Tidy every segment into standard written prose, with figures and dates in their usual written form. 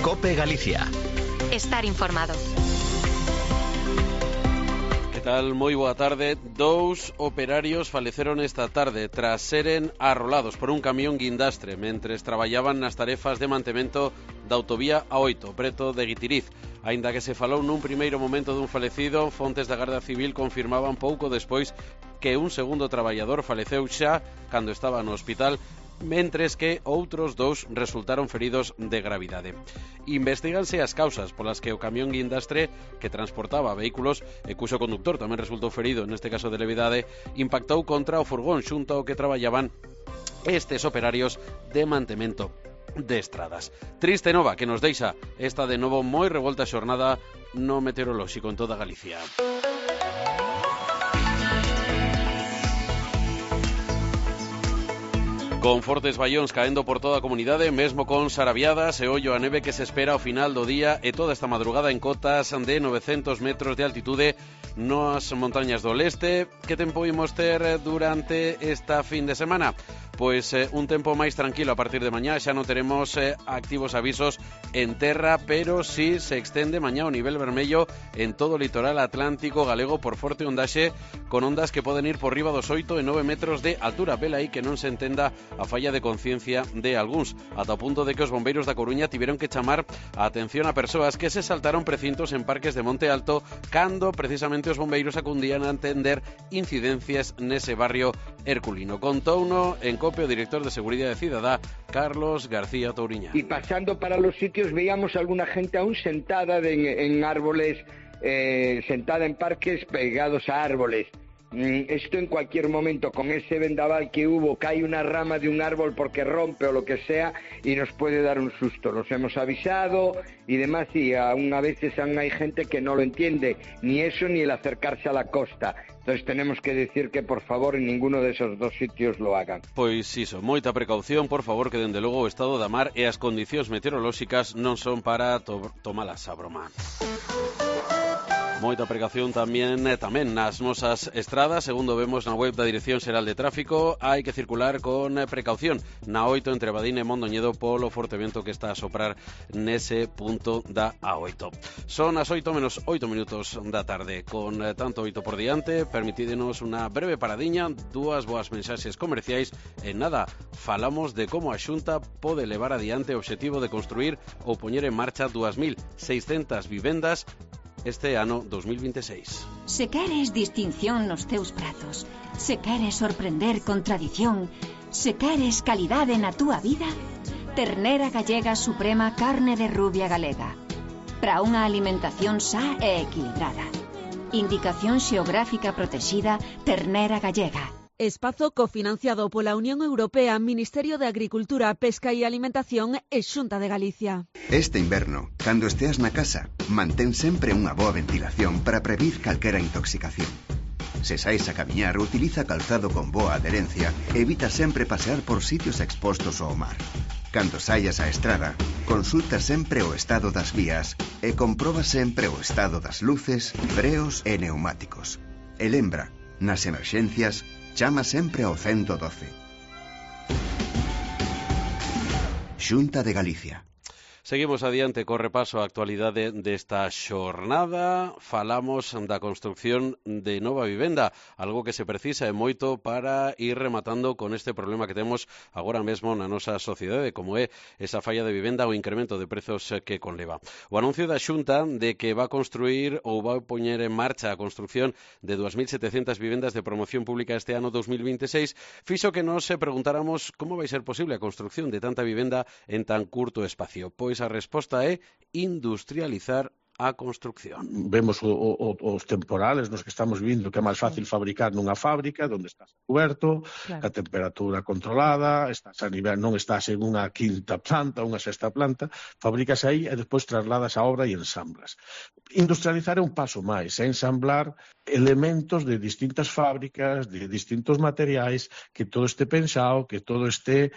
COPE Galicia. Estar informado. Que tal? Moi boa tarde. 2 operarios faleceron esta tarde tras seren arrolados por un camión guindastre mentres traballaban nas tarefas de mantemento da autovía A8, preto de Guitiriz. Aínda que se falou nun primeiro momento dun falecido, fontes da Garda Civil confirmaban pouco despois que un segundo traballador faleceu xa cando estaba no hospital, mentres que outros 2 resultaron feridos de gravidade. Investíganse as causas polas que o camión guindastre que transportaba vehículos e cuxo conductor tamén resultou ferido, neste caso de levedade, impactou contra o furgón xunto ao que traballaban estes operarios de mantemento de estradas. Triste nova que nos deixa esta de novo moi revolta xornada no meteorolóxico en toda Galicia. Con fortes baións caendo por toda a comunidade, mesmo con sarabiadas e ollo a neve que se espera ao final do día e toda esta madrugada en cotas de 900 metros de altitude nas montañas do leste. Que tempo imos ter durante esta fin de semana? Pois un tempo máis tranquilo a partir de mañá. Xa non teremos activos avisos en terra, pero sí se extende mañá o nivel vermello en todo o litoral atlántico galego por forte ondaxe, con ondas que poden ir por riba dos 8 e 9 metros de altura. Vela aí que non se entenda a falla de conciencia de algúns, ata o punto de que os bombeiros da Coruña tiveron que chamar a atención a persoas que se saltaron precintos en parques de Monte Alto cando precisamente os bombeiros acundían a atender incidencias nese barrio herculino. Contouno en COPE o director de Seguridade Cidadá, Carlos García Touriña. Y pasando para los sitios veíamos alguna gente aún sentada en árboles, sentada en parques pegados a árboles. Esto en cualquier momento, con ese vendaval que hubo, cae una rama de un árbol porque rompe o lo que sea y nos puede dar un susto. Los hemos avisado y demás, y aún a veces aún hay gente que no lo entiende, ni eso ni el acercarse a la costa. Entonces tenemos que decir que por favor en ninguno de esos dos sitios lo hagan. Pois iso, moita precaución, por favor, que dende logo o estado da mar e as condicións meteorolóxicas non son para tomalas a broma. Moita precaución tamén nas nosas estradas. Segundo vemos na web da Dirección Xeral de Tráfico, hai que circular con precaución na 8 entre Badín e Mondoñedo polo forte vento que está a soprar nese punto da A8. Son as 8 menos 8 minutos da tarde. Con tanto 8 por diante, permitídenos unha breve paradiña, 2 boas mensaxes comerciais e nada, falamos de como a Xunta pode levar adiante o obxectivo de construir ou poñer en marcha 2.600 vivendas este ano 2026. Se queres distinción nos teus pratos, se queres sorprender con tradición, se queres calidade na túa vida, Ternera Gallega Suprema Carne de Rubia Galega. Para unha alimentación sa e equilibrada. Indicación xeográfica protexida Ternera Gallega. Espazo cofinanciado pola Unión Europea, Ministerio de Agricultura, Pesca e Alimentación e Xunta de Galicia. Este inverno, cando esteas na casa, mantén sempre unha boa ventilación para previr calquera intoxicación. Se saes a camiñar, utiliza calzado con boa adherencia e evita sempre pasear por sitios expostos ao mar. Cando saias á estrada, consulta sempre o estado das vías e comproba sempre o estado das luces, freos e neumáticos. E lembra, nas emerxencias, chama sempre ao 112. Xunta de Galicia. Seguimos adiante co repaso á actualidade desta xornada. Falamos da construcción de nova vivenda, algo que se precisa e moito para ir rematando con este problema que temos agora mesmo na nosa sociedade, como é esa falla de vivenda ou incremento de prezos que conleva. O anuncio da Xunta de que va a construir ou va a poñer en marcha a construcción de 2.700 vivendas de promoción pública este ano 2026 fixo que nos preguntáramos como vai ser posible a construcción de tanta vivenda en tan curto espacio. Pois a resposta é industrializar a construcción. Vemos os temporales nos que estamos vivindo, que é máis fácil fabricar nunha fábrica onde estás coberto, claro, a temperatura controlada, estás a nivel, non estás en unha quinta planta, unha sexta planta, fabricas aí e despois trasladas a obra e ensamblas. Industrializar é un paso máis, é ensamblar elementos de distintas fábricas, de distintos materiais, que todo este pensado, que todo este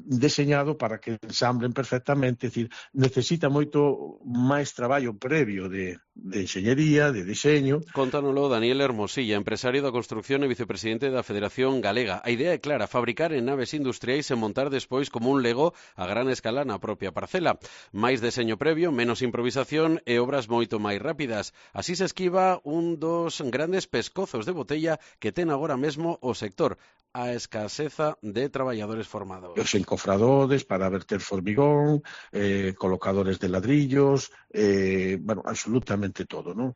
deseñado para que ensamblen perfectamente. É dicir, necesita moito máis traballo previo de de enxeñería, de diseño. Contánoslo Daniel Hermosilla, empresario da construción e vicepresidente da Federación Galega. A idea é clara, fabricar en naves industriais e montar despois como un Lego a gran escala na propia parcela. Máis deseño previo, menos improvisación e obras moito máis rápidas. Así se esquiva un dos grandes pescozos de botella que ten agora mesmo o sector, a escaseza de traballadores formados. Os encofradores para verter formigón, colocadores de ladrillos, absolutamente todo, non?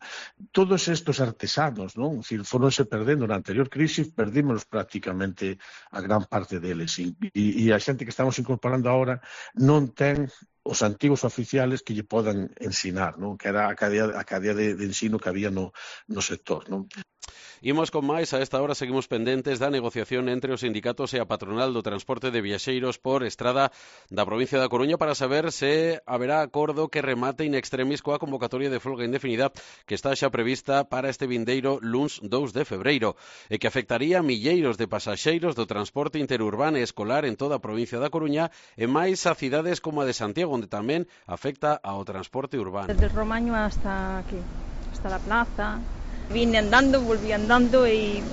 Todos estos artesanos, non? Foronse perdendo na anterior crisis, perdímonos prácticamente a gran parte deles. E a xente que estamos incorporando agora non ten os antigos oficiales que lle podan ensinar, non? Que era a cadea de ensino que había no sector, non? Imos con máis, a esta hora seguimos pendentes da negociación entre os sindicatos e a patronal do transporte de viaxeiros por estrada da provincia da Coruña para saber se haberá acordo que remate in extremis coa convocatoria de folga indefinida que está xa prevista para este vindeiro luns 2 de febreiro e que afectaría a milleiros de pasaxeiros do transporte interurbano e escolar en toda a provincia da Coruña e máis a cidades como a de Santiago, onde tamén afecta ao transporte urbano. Desde el Romaño hasta aquí, hasta la plaza. Vine andando, volví andando y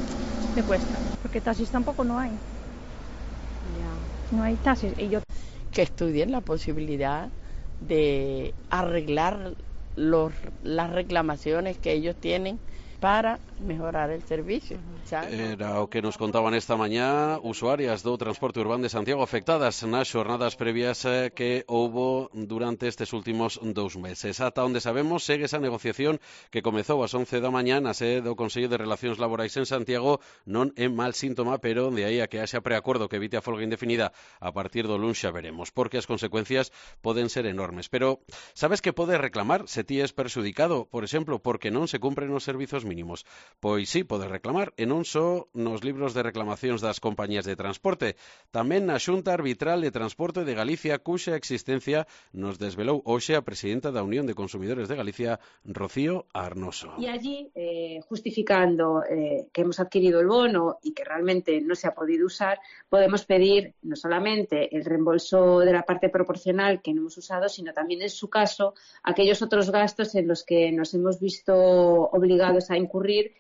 me cuesta, porque taxis tampoco no hay. No hay taxis. Y yo que estudien la posibilidad de arreglar las reclamaciones que ellos tienen para mejorar el servicio. Era o que nos contaban esta mañá usuarias do transporte urbano de Santiago afectadas nas xornadas previas que houbo durante estes últimos 2 meses. Ata onde sabemos, segue esa negociación que comezou ás 11 da mañá na sede do Consello de Relacións Laborais en Santiago. Non é mal síntoma, pero de aí a que haxa preacordo que evite a folga indefinida a partir do luns xa veremos, porque as consecuencias poden ser enormes. Pero sabes que podes reclamar se ti és perxudicado, por exemplo, porque non se cumpren os servizos mínimos? Pois sí, podes reclamar, e non só nos libros de reclamacións das compañías de transporte, tamén na Xunta Arbitral de Transporte de Galicia, cuxa existencia nos desvelou hoxe a presidenta da Unión de Consumidores de Galicia, Rocío Arnoso. Y allí, justificando que hemos adquirido el bono y que realmente no se ha podido usar, podemos pedir no solamente el reembolso de la parte proporcional que no hemos usado, sino también, en su caso, aquellos otros gastos en los que nos hemos visto obligados a incurrir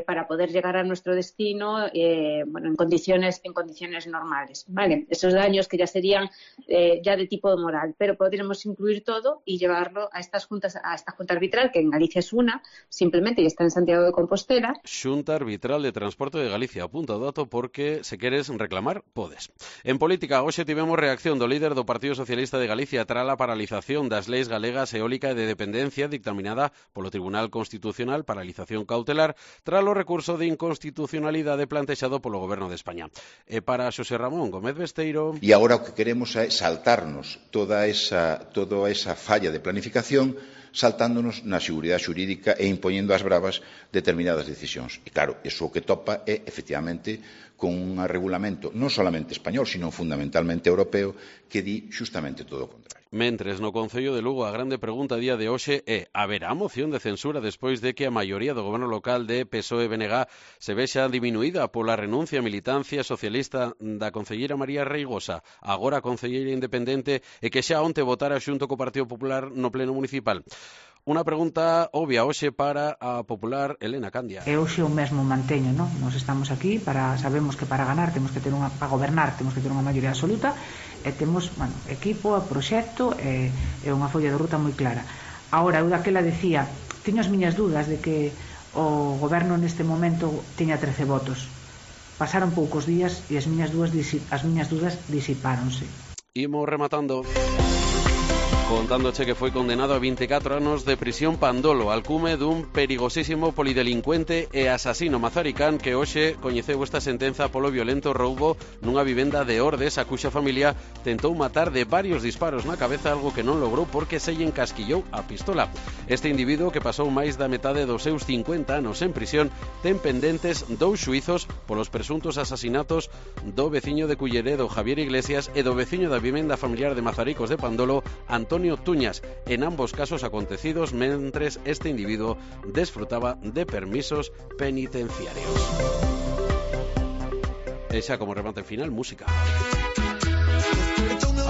para poder llegar a nuestro destino en condiciones normales, ¿vale? Esos daños que ya serían ya de tipo moral, pero podríamos incluir todo y llevarlo a esta junta arbitral, que en Galicia es una, simplemente, y está en Santiago de Compostela. Xunta Arbitral de Transporte de Galicia, apunta o dato porque se queres reclamar, podes. En política, hoxe tivemos reacción do líder do Partido Socialista de Galicia tras a paralización das leis galegas eólica e de dependencia dictaminada polo Tribunal Constitucional, paralización cautelar, tras o recurso de inconstitucionalidade plantexado polo Goberno de España. E para Xosé Ramón Gómez Besteiro... E agora o que queremos é saltarnos toda esa falla de planificación, saltándonos na seguridade xurídica e impoñendo ás bravas determinadas decisións. E claro, iso o que topa é, efectivamente, con un regulamento non solamente español, sino fundamentalmente europeo, que di xustamente todo o contrario. Mentres, no Concello de Lugo, a grande pregunta a día de hoxe é: haberá moción de censura despois de que a maioría do goberno local de PSOE-BNG se vexa diminuída pola renuncia a militancia socialista da concelleira María Reigosa, agora concelleira independente, e que xa onte votara xunto co Partido Popular no pleno municipal? Unha pregunta obvia hoxe para a popular Elena Candia. E hoxe o mesmo manteño, non? Nos estamos aquí, sabemos que para ganar temos que ter para gobernar temos que ter unha maioría absoluta, e temos, equipo, proxecto e unha folla de ruta moi clara. Agora, eu daquela decía, teño as miñas dudas de que o goberno neste momento teña 13 votos. Pasaron poucos días e as miñas dudas disipáronse. Imos rematando contándoche que foi condenado a 24 anos de prisión Pandolo, alcume dun perigosísimo polidelincuente e asasino mazaricán que hoxe coñeceu esta sentenza polo violento roubo nunha vivenda de Ordes, a cuxa familia tentou matar de varios disparos na cabeza, algo que non logrou porque se lle encasquillou a pistola. Este individuo, que pasou máis da metade dos seus 50 anos en prisión, ten pendentes 2 xuizos polos presuntos asasinatos do veciño de Culleredo, Javier Iglesias, e do veciño da vivenda familiar de Mazaricos de Pandolo, Antonio Tuñas, en ambos casos acontecidos mentres este individuo desfrutaba de permisos penitenciarios. E xa como remate final, música.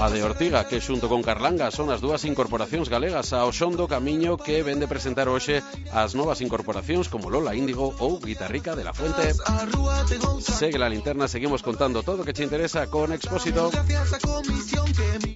A de Ortiga, que xunto con Carlanga son as dúas incorporacións galegas ao son do camiño que ven de presentar hoxe as novas incorporacións como Lola Índigo ou Guitarrica de la Fuente. Segue la linterna, seguimos contando todo o que te interesa con Expósito.